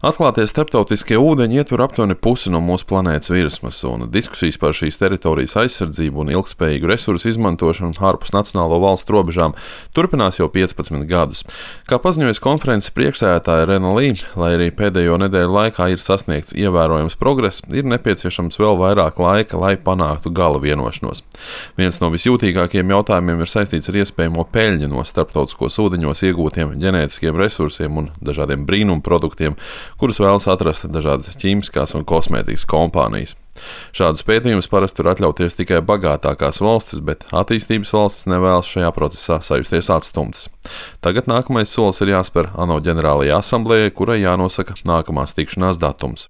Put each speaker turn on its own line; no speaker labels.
Atklātie starptautiskie ūdeņi ietver aptuveni pusi no mūsu planētas virsmas, un diskusijas par šīs teritorijas aizsardzību un ilgspējīgu resursu izmantošanu ārpus nacionālo valstu robežām turpinās jau 15 gadus. Kā paziņojas konferences priekšsēdētāja Rena Lī, lai arī pēdējo nedēļu laikā ir sasniegts ievērojams progress, ir nepieciešams vēl vairāk laika, lai panāktu gala vienošanos. Viens no visjūtīgākajiem jautājumiem ir saistīts ar iespējamo peļņu no starptautiskos ūdeņos iegūtiem ģenētiskiem resursiem un dažādiem brīnumu produktiem, kurus vēlas atrast dažādas ķīmiskās un kosmētikas kompānijas. Šādus pētījumus parasti var atļauties tikai bagātākās valstis, bet attīstības valstis nevēlas šajā procesā sajusties atstumtas. Tagad nākamais solis ir jāspēr ANO ģenerālajai asamblējai, kurai jānosaka nākamās tikšanās datums.